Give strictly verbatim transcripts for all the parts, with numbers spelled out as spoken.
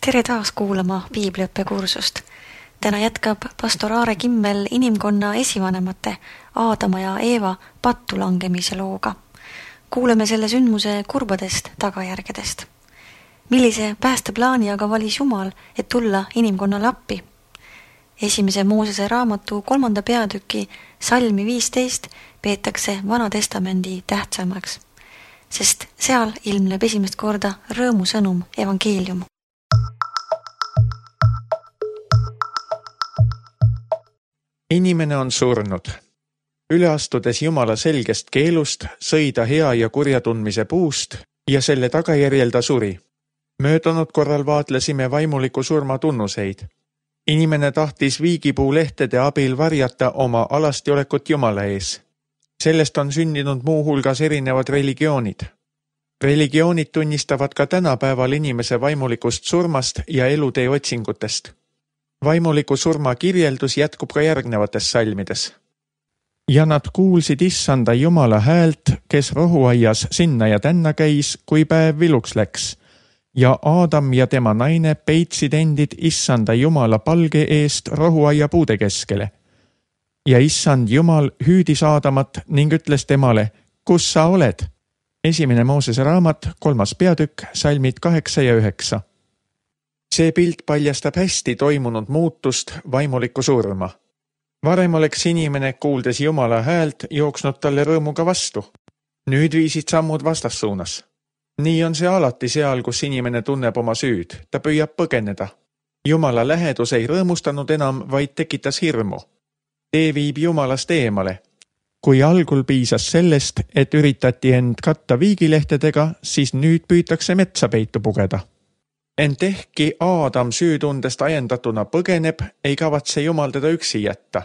Tere taas kuulama piibliõppekursust. Täna jätkab pastor Aare Kimmel inimkonna esivanemate Aadama ja Eeva pattu langemise looga. Kuuleme selle sündmuse kurbadest tagajärgedest. Millise päästeplaani aga valis Jumal, et tulla inimkonnale appi? Esimese Moosese raamatu kolmanda peatüki salmi viisteist peetakse Vana Testamendi tähtsamaks, sest seal ilmneb esimest korda rõõmusõnum evangeelium. Inimene on surnud. Üle astudes Jumala selgest keelust sõi ta hea ja kurja tundmise puust ja selle tagajärjel ta suri. Möödunud korral vaatlesime vaimuliku surma tunnuseid. Inimene tahtis viigipuu lehtede abil varjata oma alastiolekut Jumala ees. Sellest on sündinud muu hulgas erinevad religioonid. Religioonid tunnistavad ka tänapäeval inimese vaimulikust surmast ja elutee otsingutest. Vaimuliku surma kirjeldus jätkub ka järgnevates salmides. Ja nad kuulsid issanda Jumala häält, kes rohuaias sinna ja tänna käis, kui päev viluks läks. Ja Aadam ja tema naine peitsid endid issanda Jumala palge eest rohuaia puude keskele. Ja issand Jumal hüüdis Aadamat ning ütles temale, kus sa oled? Esimene Moosese raamat, kolmas peatükk, salmid kaheksa ja üheksa. See pilt paljastab hästi toimunud muutust vaimulikku surma. Varem oleks inimene, kuuldes Jumala häält, jooksnud talle rõõmuga vastu. Nüüd viisid sammud vastassuunas. Nii on see alati seal, kus inimene tunneb oma süüd. Ta püüab põgeneda. Jumala lähedus ei rõõmustanud enam, vaid tekitas hirmu. Tee viib Jumalast eemale. Kui algul piisas sellest, et üritati end katta viigilehtedega, siis nüüd püütakse metsa peitu pugeda. Ent ehkki Aadam süütundest ajendatuna põgeneb, ei kavatse Jumal teda üksi jätta.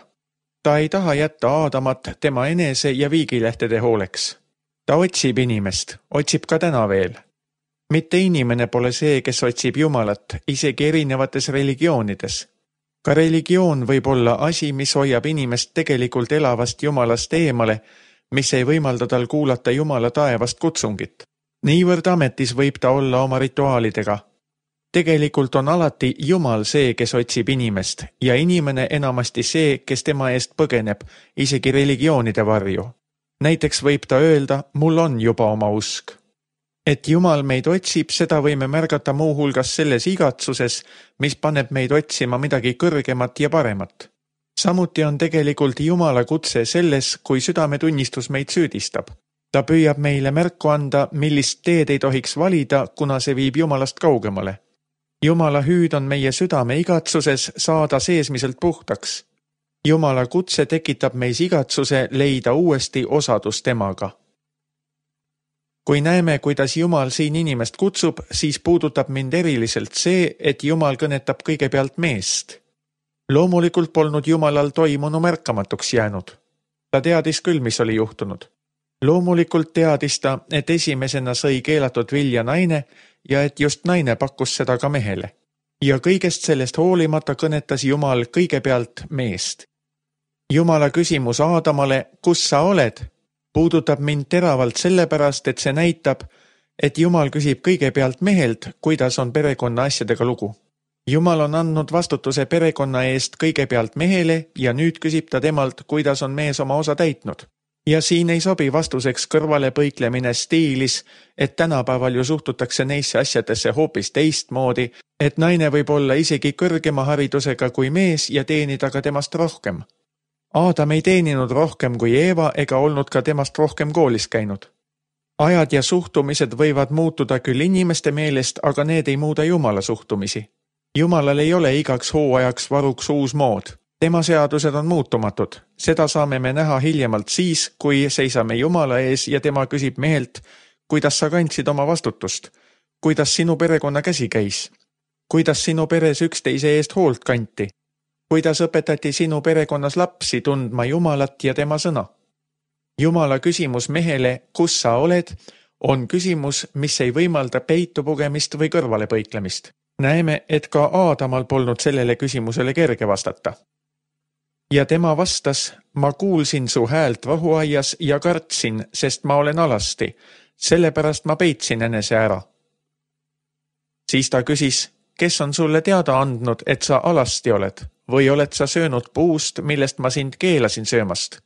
Ta ei taha jätta Aadamat tema enese ja viigilehtede hooleks. Ta otsib inimest, otsib ka täna veel. Mitte inimene pole see, kes otsib Jumalat, isegi erinevates religioonides. Ka religioon võib olla asi, mis hoiab inimest tegelikult elavast Jumalast eemale, mis ei võimalda tal kuulata Jumala taevast kutsungit. Niivõrd ametis võib ta olla oma rituaalidega. Tegelikult on alati Jumal see, kes otsib inimest ja inimene enamasti see, kes tema eest põgeneb, isegi religioonide varju. Näiteks võib ta öelda, mul on juba oma usk. Et Jumal meid otsib, seda võime märgata muu hulgas selles igatsuses, mis paneb meid otsima midagi kõrgemat ja paremat. Samuti on tegelikult Jumala kutse selles, kui südametunnistus meid süüdistab. Ta püüab meile märku anda, millist teed ei tohiks valida, kuna see viib Jumalast kaugemale. Jumala hüüd on meie südame igatsuses saada seesmiselt puhtaks. Jumala kutse tekitab meis igatsuse leida uuesti osadus temaga. Kui näeme, kuidas Jumal siin inimest kutsub, siis puudutab mind eriliselt see, et Jumal kõnetab kõigepealt meest. Loomulikult polnud Jumalal toimunu märkamatuks jäänud. Ta teadis küll, mis oli juhtunud. Loomulikult teadis ta, et esimesena sõi keelatud vilja naine ja et just naine pakkus seda ka mehele. Ja kõigest sellest hoolimata kõnetas Jumal kõigepealt meest. Jumala küsimus Aadamale, kus sa oled, puudutab mind teravalt sellepärast, et see näitab, et Jumal küsib kõigepealt mehelt, kuidas on perekonna asjadega lugu. Jumal on andnud vastutuse perekonna eest kõigepealt mehele ja nüüd küsib ta temalt, kuidas on mees oma osa täitnud. Ja siin ei sobi vastuseks kõrvale põiklemine stiilis, et tänapäeval ju suhtutakse neisse asjadesse hoopis teistmoodi, et naine võib olla isegi kõrgema haridusega kui mees ja teenida ka temast rohkem. Aadam ei teeninud rohkem kui Eeva ega olnud ka temast rohkem koolis käinud. Ajad ja suhtumised võivad muutuda küll inimeste meelest, aga need ei muuda Jumala suhtumisi. Jumalal ei ole igaks hooajaks varuks uus mood. Tema seadused on muutumatud. Seda saame me näha hiljemalt siis, kui seisame Jumala ees ja tema küsib mehelt, kuidas sa kandsid oma vastutust, kuidas sinu perekonna käsi käis, kuidas sinu peres üksteise eest hoolt kanti, kuidas õpetati sinu perekonnas lapsi tundma Jumalat ja tema sõna. Jumala küsimus mehele, kus sa oled, on küsimus, mis ei võimalda peitu pugemist või kõrvale põiklemist. Näeme, et ka Aadamal polnud sellele küsimusele kerge vastata. Ja tema vastas, ma kuulsin su häält rohuaias ja kartsin, sest ma olen alasti, sellepärast ma peitsin enese ära. Siis ta küsis, kes on sulle teada andnud, et sa alasti oled, või oled sa söönud puust, millest ma sind keelasin söömast?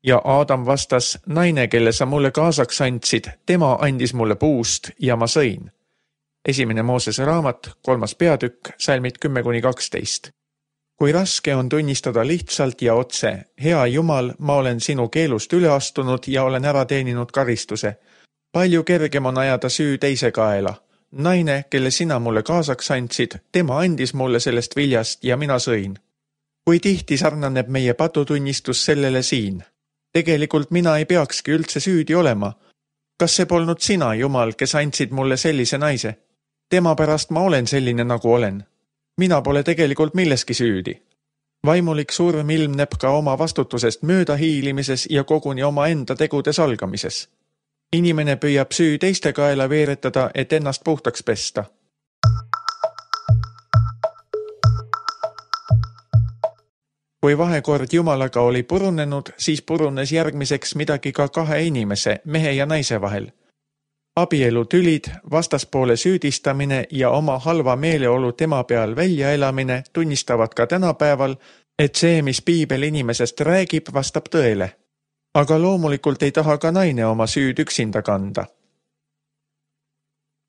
Ja Aadam vastas, naine, kelle sa mulle kaasaks andsid, tema andis mulle puust ja ma sõin. Esimene Moosese raamat, kolmas peatükk, salmid kümme kuni kaksteist. Kui raske on tunnistada lihtsalt ja otse, hea Jumal, ma olen sinu keelust üle astunud ja olen ära teeninud karistuse. Palju kergem on ajada süü teise kaela. Naine, kelle sina mulle kaasaks andsid, tema andis mulle sellest viljast ja mina sõin. Kui tihti sarnaneb meie patutunnistus sellele siin? Tegelikult mina ei peakski üldse süüdi olema. Kas see polnud sina, Jumal, kes andsid mulle sellise naise? Tema pärast ma olen selline, nagu olen. Mina pole tegelikult milleski süüdi. Vaimulik surm ilmneb ka oma vastutusest mööda hiilimises ja koguni oma enda tegude salgamises. Inimene püüab süü teiste kaela veeretada, et ennast puhtaks pesta. Kui vahekord Jumalaga oli purunenud, siis purunes järgmiseks midagi ka kahe inimese, mehe ja naise vahel. Abielu tülid, vastaspoole süüdistamine ja oma halva meeleolu tema peal välja elamine tunnistavad ka tänapäeval, et see, mis Piibel inimesest räägib, vastab tõele. Aga loomulikult ei taha ka naine oma süüd üksinda kanda.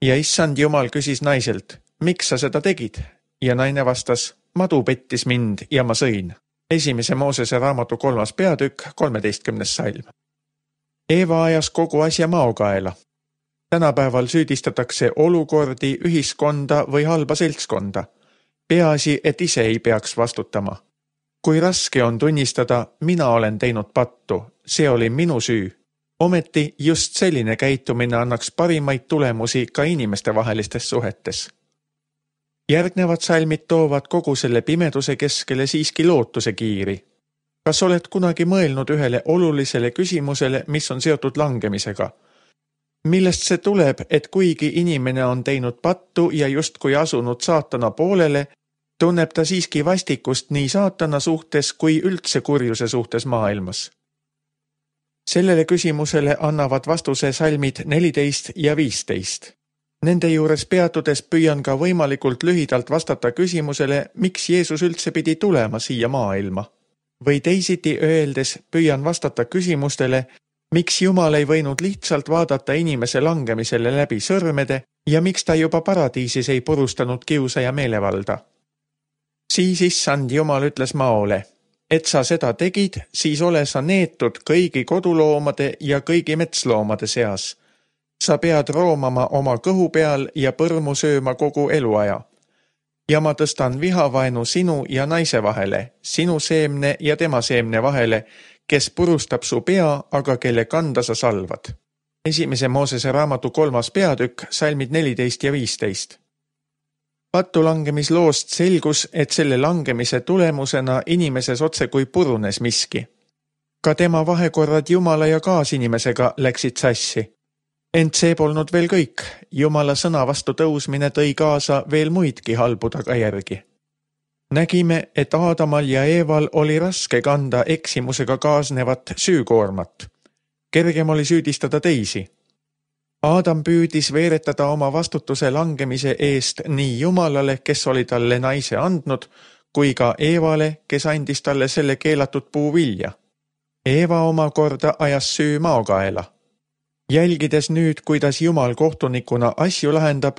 Ja issand Jumal küsis naiselt, miks sa seda tegid? Ja naine vastas, madu pettis mind ja ma sõin. Esimese Moosese raamatu kolmas peatükk, kolmeteistkümnes salm. Eeva ajas kogu asja maokaela. Tänapäeval süüdistatakse olukordi, ühiskonda või halba seltskonda. Peaasi, et ise ei peaks vastutama. Kui raske on tunnistada, mina olen teinud pattu, see oli minu süü. Ometi just selline käitumine annaks parimaid tulemusi ka inimeste vahelistes suhetes. Järgnevad salmid toovad kogu selle pimeduse keskele siiski lootuse kiiri. Kas oled kunagi mõelnud ühele olulisele küsimusele, mis on seotud langemisega? Millest see tuleb, et kuigi inimene on teinud pattu ja justkui asunud saatana poolele, tunneb ta siiski vastikust nii saatana suhtes kui üldse kurjuse suhtes maailmas? Sellele küsimusele annavad vastuse salmid neliteist ja viisteist. Nende juures peatudes püüan ka võimalikult lühidalt vastata küsimusele, miks Jeesus üldse pidi tulema siia maailma. Või teisiti öeldes püüan vastata küsimustele, miks Jumal ei võinud lihtsalt vaadata inimese langemisele läbi sõrmede ja miks ta juba paradiisis ei purustanud kiusa ja meelevalda. Siis issand Jumal ütles maole, et sa seda tegid, siis ole sa neetud kõigi koduloomade ja kõigi metsloomade seas. Sa pead roomama oma kõhu peal ja põrmu sööma kogu eluaja. Ja ma tõstan vihavaenu sinu ja naise vahele, sinu seemne ja tema seemne vahele, kes purustab su pea, aga kelle kanda sa salvad. Esimese Moosese raamatu kolmas peatükk, salmid neliteist ja viisteist. Pattu langemisloost selgus, et selle langemise tulemusena inimeses otse kui purunes miski. Ka tema vahekorrad Jumala ja kaasinimesega läksid sassi. Ent see polnud veel kõik. Jumala sõna vastu tõusmine tõi kaasa veel muidki halbu tagajärgi. Nägime, et Aadamal ja Eeval oli raske kanda eksimusega kaasnevat süükoormat. Kergem oli süüdistada teisi. Aadam püüdis veeretada oma vastutuse langemise eest nii Jumalale, kes oli talle naise andnud, kui ka Eevale, kes andis talle selle keelatud puuvilja. Eeva omakorda ajas süü maokaela. Jälgides nüüd, kuidas Jumal kohtunikuna asju lahendab,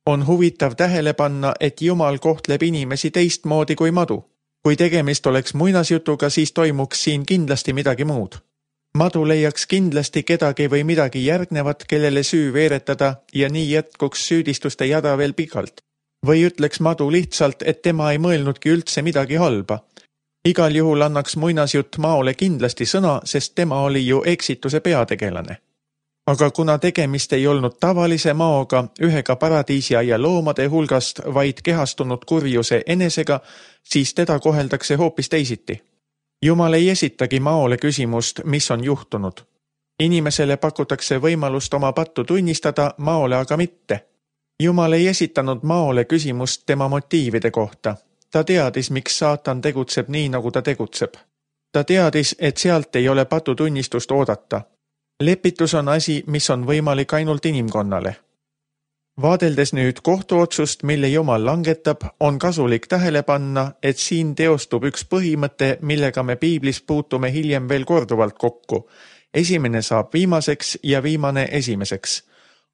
on huvitav tähele panna, et Jumal kohtleb inimesi teistmoodi kui madu. Kui tegemist oleks muinasjutuga, siis toimuks siin kindlasti midagi muud. Madu leiaks kindlasti kedagi või midagi järgnevat, kellele süü veeretada ja nii jätkuks süüdistuste jada veel pikalt. Või ütleks madu lihtsalt, et tema ei mõelnudki üldse midagi halba. Igal juhul annaks muinasjutt maole kindlasti sõna, sest tema oli ju eksituse peategelane. Aga kuna tegemist ei olnud tavalise maoga, ühega paradiisia loomade hulgast, vaid kehastunud kurjuse enesega, siis teda koheldakse hoopis teisiti. Jumal ei esitagi maole küsimust, mis on juhtunud. Inimesele pakutakse võimalust oma pattu tunnistada, maole aga mitte. Jumal ei esitanud maole küsimust tema motiivide kohta. Ta teadis, miks saatan tegutseb nii, nagu ta tegutseb. Ta teadis, et sealt ei ole patutunnistust oodata. Lepitus on asi, mis on võimalik ainult inimkonnale. Vaadeldes nüüd kohtuotsust, mille Jumal langetab, on kasulik tähele panna, et siin teostub üks põhimõte, millega me piiblis puutume hiljem veel korduvalt kokku. Esimene saab viimaseks ja viimane esimeseks.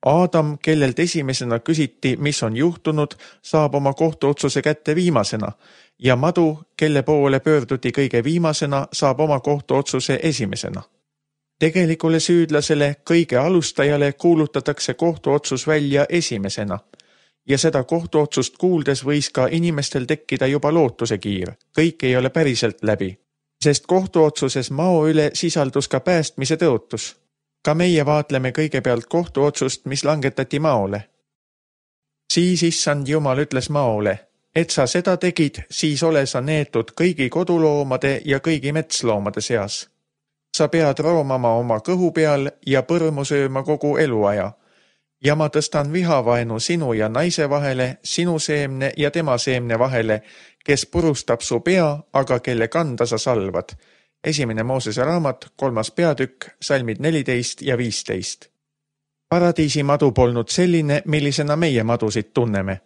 Aadam, kellelt esimesena küsiti, mis on juhtunud, saab oma kohtuotsuse kätte viimasena ja madu, kelle poole pöörduti kõige viimasena, saab oma kohtuotsuse esimesena. Tegelikule süüdlasele, kõige alustajale kuulutatakse kohtuotsus välja esimesena ja seda kohtuotsust kuuldes võis ka inimestel tekkida juba lootuse kiir. Kõik ei ole päriselt läbi, sest kohtuotsuses mao üle sisaldus ka päästmise tõotus. Ka meie vaatleme kõigepealt kohtuotsust, mis langetati maole. Siis issand Jumal ütles maole, et sa seda tegid, siis ole sa neetud kõigi koduloomade ja kõigi metsloomade seas. Sa pead roomama oma kõhu peal ja põrmu sööma kogu eluaja. Ja ma tõstan vihavaenu sinu ja naise vahele, sinu seemne ja tema seemne vahele, kes purustab su pea, aga kelle kanda sa salvad. Esimene Moosese raamat, kolmas peatükk, salmid neliteist ja viisteist. Paradiisi madu polnud selline, millisena meie madusid tunneme.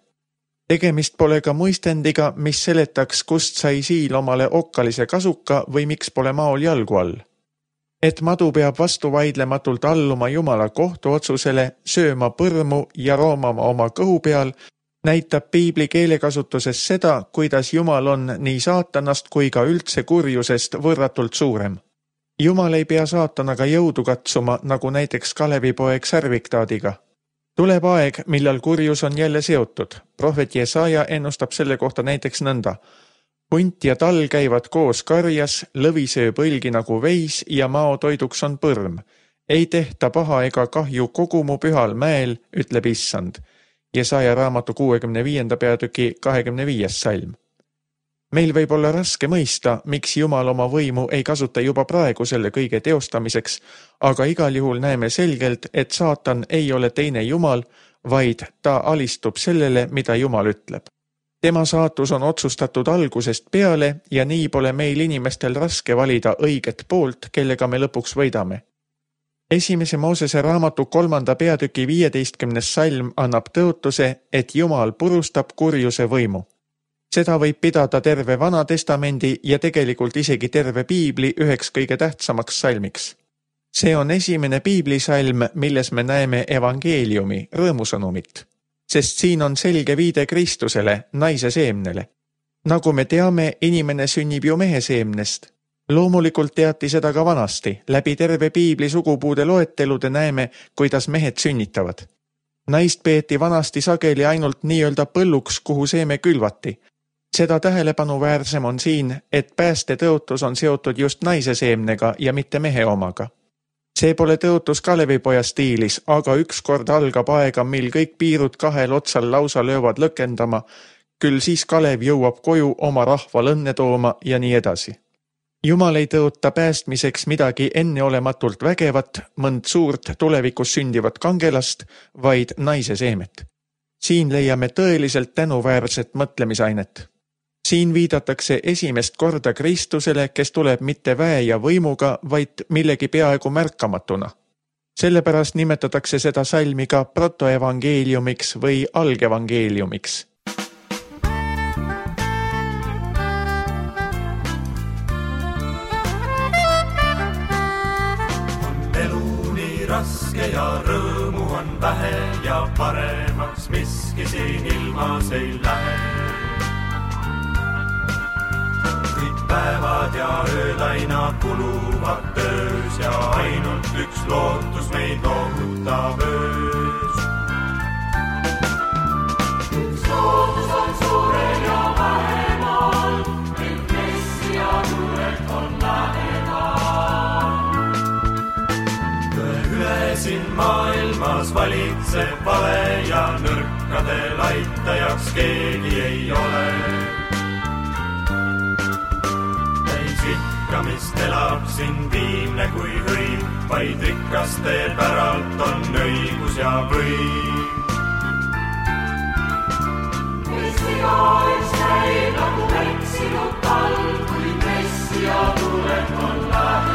Tegemist pole ka muistendiga, mis seletaks, kust sai siil omale okkalise kasuka või miks pole maol jalgu all. Et madu peab vastu vaidlematult alluma Jumala kohtuotsusele, sööma põrmu ja roomama oma kõhu peal, näitab piibli keelekasutuses seda, kuidas Jumal on nii saatanast kui ka üldse kurjusest võrratult suurem. Jumal ei pea saatanaga jõudu katsuma, nagu näiteks Kalevipoeg Särviktaadiga. Tuleb aeg, millal kurjus on jälle seotud. Prohvet Jesaja ennustab selle kohta näiteks nõnda. Hunt ja tal käivad koos karjas, lõvi sööb õlgi nagu veis ja mao toiduks on põrm. Ei tehta paha ega kahju kogu mu pühal mäel, ütleb issand. Jesaja raamatu kuuekümne viienda peatüki kahekümne viies salm. Meil võib olla raske mõista, miks Jumal oma võimu ei kasuta juba praegu selle kõige teostamiseks, aga igal juhul näeme selgelt, et saatan ei ole teine Jumal, vaid ta alistub sellele, mida Jumal ütleb. Tema saatus on otsustatud algusest peale ja nii pole meil inimestel raske valida õiget poolt, kellega me lõpuks võidame. Esimese Moosese raamatu kolmanda peatüki viieteistkümnes salm annab tõotuse, et Jumal purustab kurjuse võimu. Seda võib pidada terve Vana Testamendi ja tegelikult isegi terve piibli üheks kõige tähtsamaks salmiks. See on esimene piiblisalm, milles me näeme evangeeliumi, rõõmusõnumit, sest siin on selge viide Kristusele, naise seemnele. Nagu me teame, inimene sünnib ju mehe seemnest. Loomulikult teati seda ka vanasti. Läbi terve piibli sugupuude loetelude näeme, kuidas mehed sünnitavad. Naist peeti vanasti sageli ainult nii-öelda põlluks, kuhu seeme külvati. Seda tähelepanu-väärsem on siin, et pääste tõotus on seotud just naise seemnega ja mitte mehe omaga. See pole tõotus Kalevipoja stiilis, aga ükskord algab aega, mil kõik piirud kahel otsal lausa löövad lõkendama, küll siis Kalev jõuab koju oma rahval õnne tooma ja nii edasi. Jumal ei tõota päästmiseks midagi enneolematult vägevat, mõnd suurt tulevikus sündivat kangelast, vaid naise seemet. Siin leiame tõeliselt tänuväärset mõtlemisainet. Siin viidatakse esimest korda Kristusele, kes tuleb mitte väe ja võimuga, vaid millegi peaaegu märkamatuna. Sellepärast nimetatakse seda salmi ka protoevangeeliumiks või algevangeeliumiks. Raske ja rõõmu on vähe ja paremaks miski siin ilmas ei lähe. Kõik päevad ja öölaina kuluvad töös ja ainult üks lootus meid loohutab öös. Üks lootus on suurel ja vähemal, et Messia tulek on lähemal. Siin maailmas valitseb vale ja nõrkadel aitajaks keegi ei ole. Täis ikkamist elab siin viimne kui hõim, vaid rikaste päralt on õigus ja võim. Messia üks käib nagu eksinud talv, kui Messia tulek on lähemal.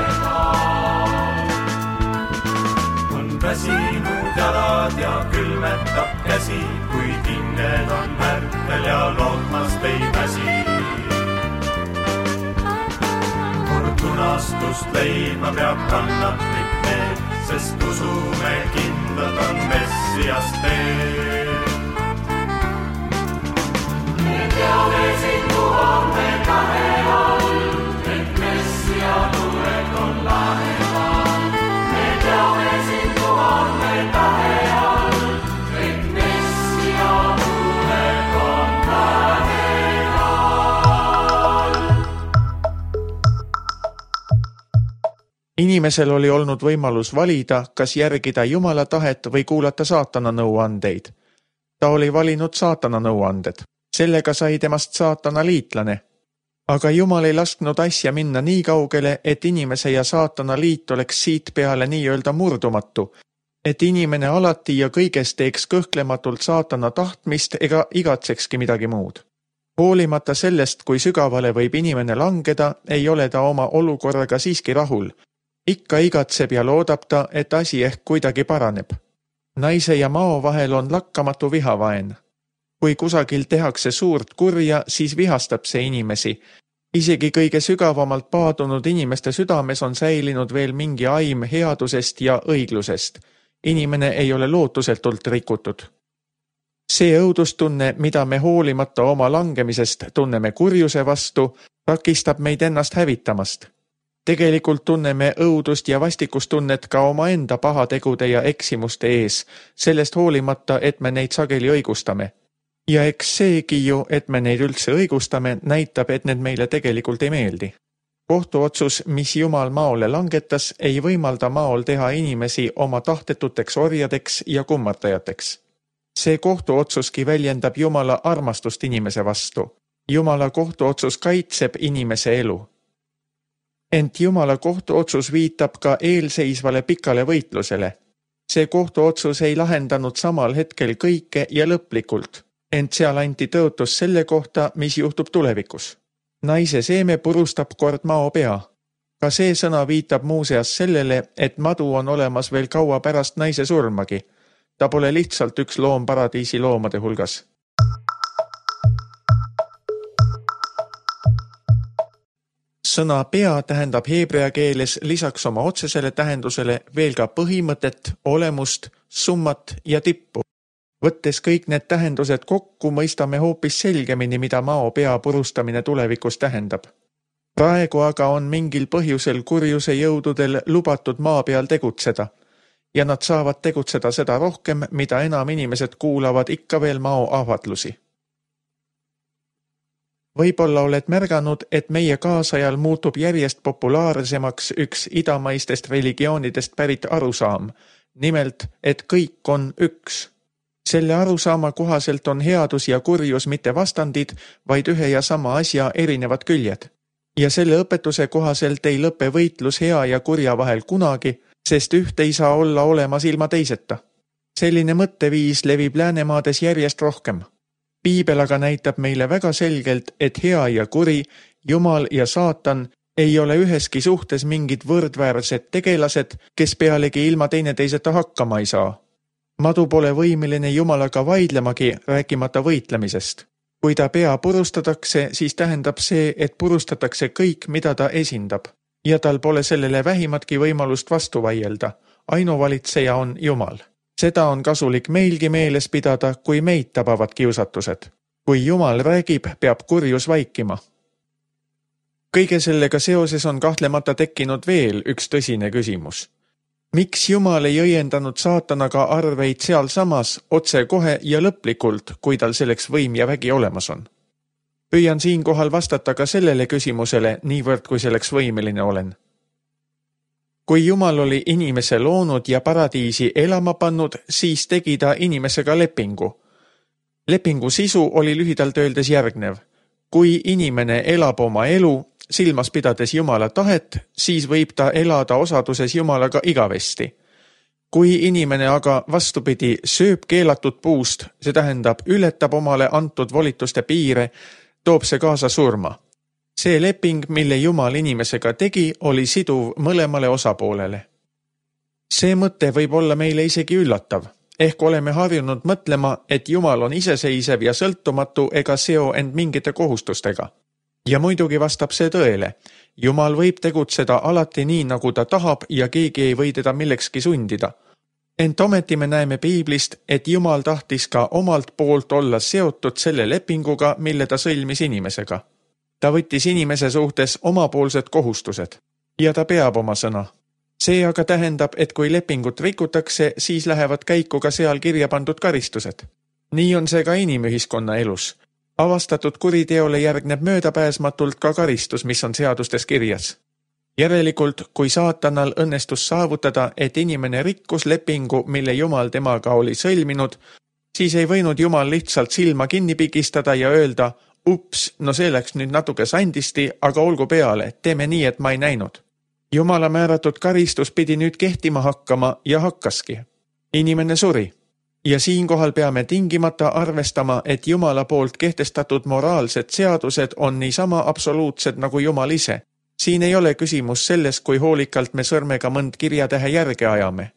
Väsinud ja jalad ja külmetab käsi, kuid hinged on ärkvel ja lootmast ei väsi. Kord unastust leiba peab kannatlik need, sest usume kindlad on Messias teel. Me teame sind, kuhu me tahe all, et Messia tulek on lähemal. Me teame sind, kuhu me tahe all, et Messia tulek on lähemal. Inimesel oli olnud võimalus valida, kas järgida Jumala tahet või kuulata saatana nõuandeid. Ta oli valinud saatana nõuanded. Sellega sai temast saatana liitlane. Aga Jumal ei lasknud asja minna nii kaugele, et inimese ja saatana liit oleks siit peale nii-öelda murdumatu, et inimene alati ja kõiges teeks kõhklematult saatana tahtmist ega igatsekski midagi muud. Hoolimata sellest, kui sügavale võib inimene langeda, ei ole ta oma olukorraga siiski rahul. Ikka igatseb ja loodab ta, et asi ehk kuidagi paraneb. Naise ja mao vahel on lakkamatu vihavaen. Kui kusagil tehakse suurt kurja, siis vihastab see inimesi. Isegi kõige sügavamalt paadunud inimeste südames on säilinud veel mingi aim headusest ja õiglusest. Inimene ei ole lootusetult rikutud. See õudustunne, mida me hoolimata oma langemisest tunneme kurjuse vastu, takistab meid ennast hävitamast. Tegelikult tunneme õudust ja vastikustunnet ka oma enda pahategude ja eksimuste ees, sellest hoolimata, et me neid sageli õigustame. Ja eks seegi ju, et me neid üldse õigustame, näitab, et need meile tegelikult ei meeldi. Kohtuotsus, mis Jumal maole langetas, ei võimalda maol teha inimesi oma tahtetuteks orjadeks ja kummartajateks. See kohtuotsuski väljendab Jumala armastust inimese vastu. Jumala kohtuotsus kaitseb inimese elu. Ent Jumala kohtuotsus viitab ka eelseisvale pikale võitlusele. See kohtuotsus ei lahendanud samal hetkel kõike ja lõplikult, ent seal anti tõotus selle kohta, mis juhtub tulevikus. Naise seeme purustab kord mao pea. Ka see sõna viitab muuseas sellele, et madu on olemas veel kaua pärast naise surmagi. Ta pole lihtsalt üks loom paradiisi loomade hulgas. Sõna pea tähendab heebrea keeles lisaks oma otsesele tähendusele veel ka põhimõtet, olemust, summat ja tippu. Võttes kõik need tähendused kokku, mõistame hoopis selgemini, mida mao pea purustamine tulevikus tähendab. Praegu aga on mingil põhjusel kurjuse jõududel lubatud maa peal tegutseda ja nad saavad tegutseda seda rohkem, mida enam inimesed kuulavad ikka veel mao ahvatlusi. Võib-olla oled märganud, et meie kaasajal muutub järjest populaarsemaks üks idamaistest religioonidest pärit arusaam, nimelt, et kõik on üks. Selle arusaama kohaselt on headus ja kurjus mitte vastandid, vaid ühe ja sama asja erinevad küljed. Ja selle õpetuse kohaselt ei lõpe võitlus hea ja kurja vahel kunagi, sest üht ei saa olla olemas ilma teiseta. Selline mõtteviis levib läänemaades järjest rohkem. Piibel aga näitab meile väga selgelt, et hea ja kuri, Jumal ja saatan ei ole üheski suhtes mingid võrdväärsed tegelased, kes pealegi ilma teineteiseta hakkama ei saa. Madu pole võimeline Jumalaga vaidlemagi, rääkimata võitlemisest. Kui ta pea purustatakse, siis tähendab see, et purustatakse kõik, mida ta esindab. Ja tal pole sellele vähimatki võimalust vastu vaielda. Ainuvalitseja on Jumal. Seda on kasulik meilgi meeles pidada, kui meid tabavad kiusatused. Kui Jumal räägib, peab kurjus vaikima. Kõige sellega seoses on kahtlemata tekkinud veel üks tõsine küsimus. Miks Jumal ei õiendanud saatanaga arveid seal samas, otse kohe ja lõplikult, kui tal selleks võim ja vägi olemas on? Püüan siinkohal vastata ka sellele küsimusele, niivõrd kui selleks võimeline olen. Kui Jumal oli inimese loonud ja paradiisi elama pannud, siis tegi ta inimesega lepingu. Lepingu sisu oli lühidalt öeldes järgnev. Kui inimene elab oma elu, silmas pidades Jumala tahet, siis võib ta elada osaduses Jumalaga igavesti. Kui inimene aga vastupidi sööb keelatud puust, see tähendab ületab omale antud volituste piire, toob see kaasa surma. See leping, mille Jumal inimesega tegi, oli siduv mõlemale osapoolele. See mõte võib olla meile isegi üllatav. Ehk oleme harjunud mõtlema, et Jumal on iseseisev ja sõltumatu ega seo end mingite kohustustega. Ja muidugi vastab see tõele. Jumal võib tegutseda alati nii, nagu ta tahab ja keegi ei või teda millekski sundida. Ent ometi me näeme piiblist, et Jumal tahtis ka omalt poolt olla seotud selle lepinguga, mille ta sõlmis inimesega. Ta võttis inimese suhtes omapoolsed kohustused ja ta peab oma sõna. See aga tähendab, et kui lepingut rikutakse, siis lähevad käiku ka seal kirja pandud karistused. Nii on see ka inimühiskonna elus. Avastatud kuriteole järgneb möödapääsmatult ka karistus, mis on seadustes kirjas. Järelikult, kui saatanal õnnestus saavutada, et inimene rikkus lepingu, mille Jumal temaga oli sõlminud, siis ei võinud Jumal lihtsalt silma kinni pigistada ja öelda, ups, no see läks nüüd natuke sandisti, aga olgu peale, teeme nii, et ma ei näinud. Jumala määratud karistus pidi nüüd kehtima hakkama ja hakkaski. Inimene suri. Ja siinkohal peame tingimata arvestama, et Jumala poolt kehtestatud moraalsed seadused on niisama absoluutsed nagu Jumal ise. Siin ei ole küsimus selles, kui hoolikalt me sõrmega mõnd kirjatähe järge ajame.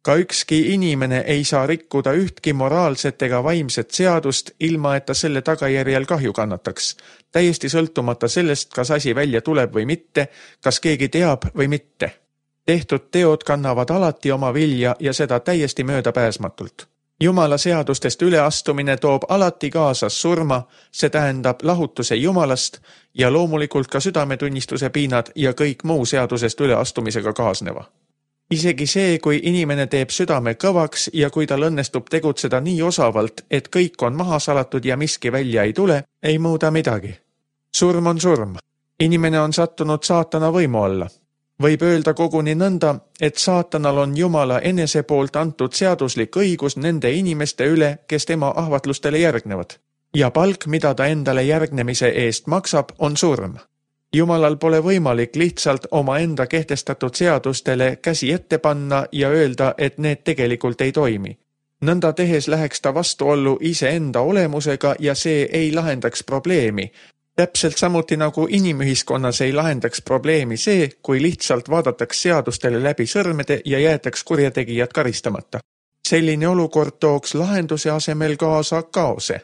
Ka ükski inimene ei saa rikkuda ühtki moraalset ega vaimset seadust, ilma et ta selle tagajärjel kahju kannataks. Täiesti sõltumata sellest, kas asi välja tuleb või mitte, kas keegi teab või mitte. Tehtud teod kannavad alati oma vilja ja seda täiesti möödapääsmatult. Jumala seadustest üleastumine toob alati kaasas surma, see tähendab lahutuse Jumalast ja loomulikult ka südametunnistuse piinad ja kõik muu seadusest üleastumisega kaasneva. Isegi see, kui inimene teeb südame kõvaks ja kui tal õnnestub tegutseda nii osavalt, et kõik on maha salatud ja miski välja ei tule, ei muuda midagi. Surm on surm. Inimene on sattunud saatana võimu alla. Võib öelda koguni nõnda, et saatanal on Jumala enese poolt antud seaduslik õigus nende inimeste üle, kes tema ahvatlustele järgnevad. Ja palk, mida ta endale järgnemise eest maksab, on surm. Jumalal pole võimalik lihtsalt oma enda kehtestatud seadustele käsi ette panna ja öelda, et need tegelikult ei toimi. Nõnda tehes läheks ta vastuollu iseenda olemusega ja see ei lahendaks probleemi. Täpselt samuti nagu inimühiskonnas ei lahendaks probleemi see, kui lihtsalt vaadataks seadustele läbi sõrmede ja jäetaks kurjategijad karistamata. Selline olukord tooks lahenduse asemel kaasa kaose.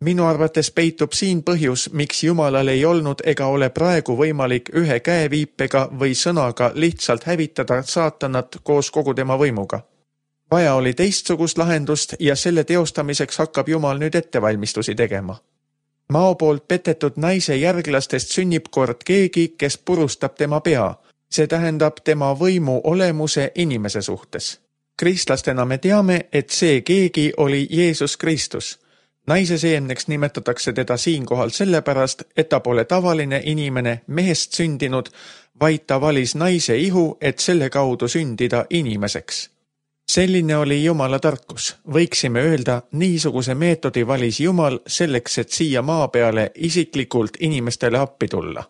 Minu arvates peitub siin põhjus, miks Jumalal ei olnud ega ole praegu võimalik ühe käeviipega või sõnaga lihtsalt hävitada saatanat koos kogu tema võimuga. Vaja oli teistsugust lahendust ja selle teostamiseks hakkab Jumal nüüd ettevalmistusi tegema. Mao poolt petetud naise järglastest sünnib kord keegi, kes purustab tema pea. See tähendab tema võimu olemuse inimese suhtes. Kristlastena me teame, et see keegi oli Jeesus Kristus. Naise seemneks nimetatakse teda siinkohal sellepärast, et ta pole tavaline inimene mehest sündinud, vaid ta valis naise ihu, et selle kaudu sündida inimeseks. Selline oli Jumala tarkus. Võiksime öelda, niisuguse meetodi valis Jumal selleks, et siia maa peale isiklikult inimestele appi tulla.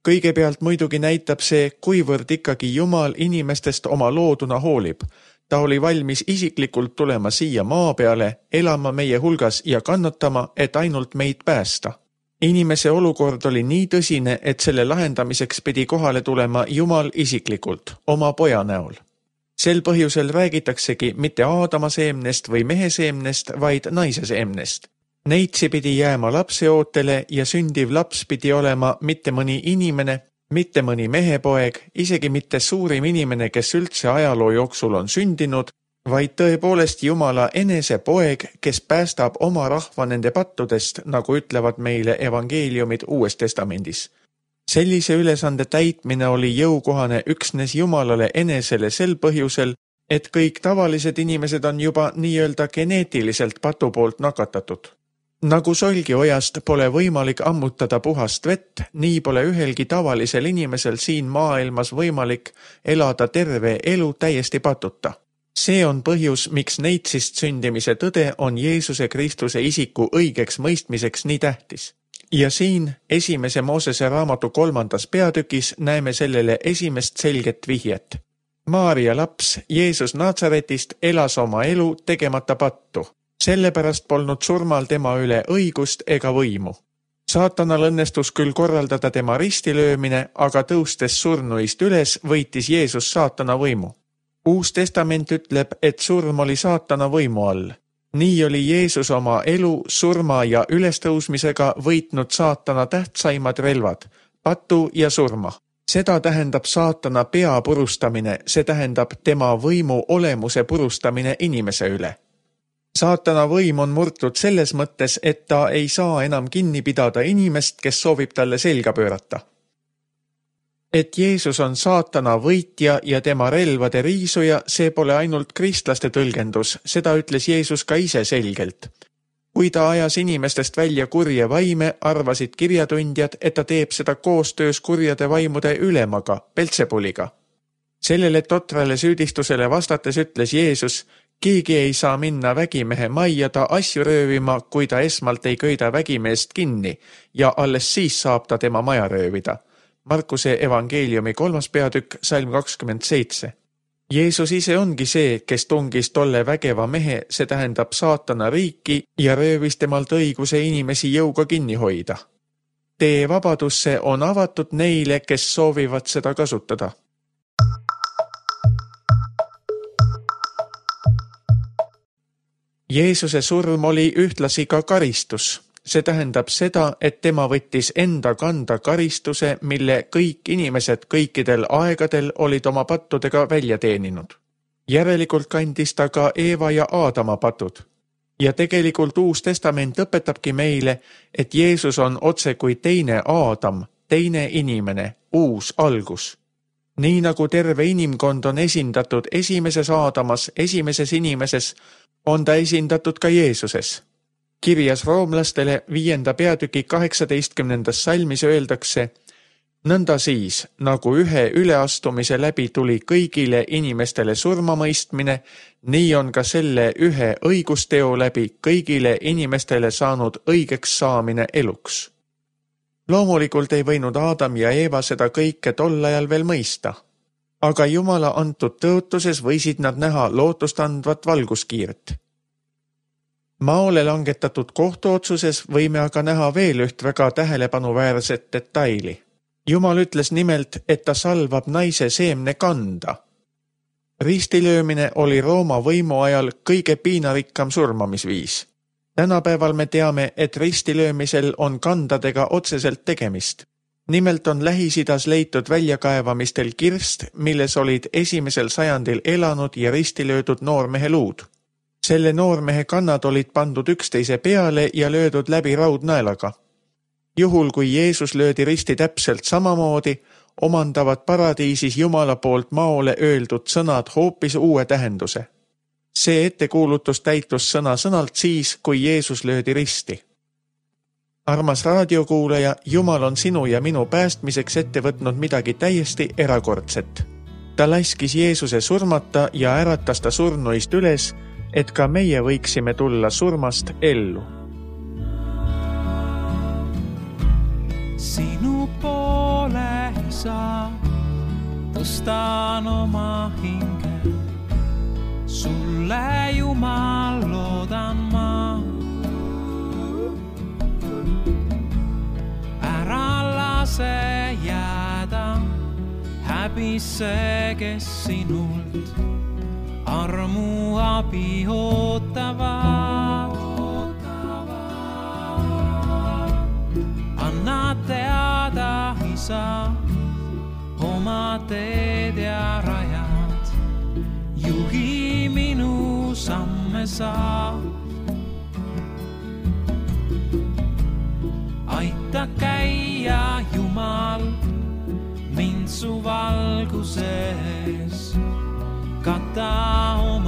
Kõigepealt muidugi näitab see, kuivõrd ikkagi Jumal inimestest oma looduna hoolib. Ta oli valmis isiklikult tulema siia maa peale, elama meie hulgas ja kannatama, et ainult meid päästa. Inimese olukord oli nii tõsine, et selle lahendamiseks pidi kohale tulema Jumal isiklikult, oma poja näol. Sel põhjusel räägitaksegi mitte Aadama seemnest või mehe seemnest, vaid naise seemnest. Neitsi pidi jääma lapse ootele ja sündiv laps pidi olema mitte mõni inimene, mitte mõni mehepoeg, isegi mitte suurim inimene, kes üldse ajaloo jooksul on sündinud, vaid tõepoolest Jumala enese poeg, kes päästab oma rahva nende pattudest, nagu ütlevad meile evangeeliumid Uues Testamendis. Sellise ülesande täitmine oli jõukohane üksnes Jumalale enesele sel põhjusel, et kõik tavalised inimesed on juba nii-öelda geneetiliselt patu poolt nakatatud. Nagu solgiojast pole võimalik ammutada puhast vett, nii pole ühelgi tavalisel inimesel siin maailmas võimalik elada terve elu täiesti patuta. See on põhjus, miks neitsist sündimise tõde on Jeesuse Kristuse isiku õigeks mõistmiseks nii tähtis. Ja siin esimese Moosese raamatu kolmandas peatükis näeme sellele esimest selget vihjet. Maaria laps Jeesus Natsaretist elas oma elu tegemata pattu. Sellepärast polnud surmal tema üle õigust ega võimu. Saatanal õnnestus küll korraldada tema ristilöömine, aga tõustes surnuist üles võitis Jeesus saatana võimu. Uus testament ütleb, et surm oli saatana võimu all. Nii oli Jeesus oma elu, surma ja ülestõusmisega võitnud saatana tähtsaimad relvad, patu ja surma. Seda tähendab saatana pea purustamine, see tähendab tema võimu olemuse purustamine inimese üle. Saatana võim on murtud selles mõttes, et ta ei saa enam kinni pidada inimest, kes soovib talle selga pöörata. Et Jeesus on saatana võitja ja tema relvade riisuja, see pole ainult kristlaste tõlgendus, seda ütles Jeesus ka ise selgelt. Kui ta ajas inimestest välja kurje vaime, arvasid kirjatundjad, et ta teeb seda koostöös kurjade vaimude ülemaga, Belzebuliga. Sellele totrale süüdistusele vastates ütles Jeesus, keegi ei saa minna vägimehe majja ta asju röövima, kui ta esmalt ei köida vägimeest kinni ja alles siis saab ta tema maja röövida. Markuse evangeeliumi kolmas peatükk, salm kakskümmend seitse. Jeesus ise ongi see, kes tungis tolle vägeva mehe, see tähendab saatana riiki ja röövis temalt õiguse inimesi jõuga kinni hoida. Tee vabadusse on avatud neile, kes soovivad seda kasutada. Jeesuse surm oli ühtlasi ka karistus. See tähendab seda, et tema võttis enda kanda karistuse, mille kõik inimesed kõikidel aegadel olid oma pattudega välja teeninud. Järelikult kandis ta ka Eeva ja Aadama patud. Ja tegelikult Uus Testament õpetabki meile, et Jeesus on otse kui teine Aadam, teine inimene, uus algus. Nii nagu terve inimkond on esindatud esimeses Aadamas, esimeses inimeses, on ta esindatud ka Jeesuses. Kirjas roomlastele viienda peatüki kaheksateistkümnendas salmis öeldakse, nõnda siis, nagu ühe üleastumise läbi tuli kõigile inimestele surmamõistmine, nii on ka selle ühe õigusteo läbi kõigile inimestele saanud õigeks saamine eluks. Loomulikult ei võinud Aadam ja Eeva seda kõike tol ajal veel mõista, aga Jumala antud tõotuses võisid nad näha lootustandvat valguskiirt. Maole langetatud kohtuotsuses võime aga näha veel üht väga tähelepanuväärset detaili. Jumal ütles nimelt, et ta salvab naise seemne kanda. Ristilöömine oli Rooma võimu ajal kõige piinarikkam surmamisviis. Tänapäeval me teame, et ristilöömisel on kandadega otseselt tegemist. Nimelt on Lähis-Idas leitud väljakaevamistel kirst, milles olid esimesel sajandil elanud ja ristilöödud noormehe luud. Selle noormehe kannad olid pandud üksteise peale ja löödud läbi raudnaelaga. Juhul, kui Jeesus löödi risti täpselt samamoodi, omandavad paradiisis Jumala poolt maole öeldud sõnad hoopis uue tähenduse. See ettekuulutus täitus sõna sõnalt siis, kui Jeesus löödi risti. Armas raadiokuulaja, Jumal on sinu ja minu päästmiseks ette võtnud midagi täiesti erakordset. Ta laskis Jeesuse surmata ja äratas ta surnuist üles, et ka meie võiksime tulla surmast ellu. Sinu poole isa, tõstan oma hinge, sulle Jumal loodan ma. Ära lase jääda häbisse, kes sinult armu abi ootavad. Anna teada, isa, oma teed ja rajad. Juhi minu samme sa. Aita käia, Jumal, mind su valguses. Kata oma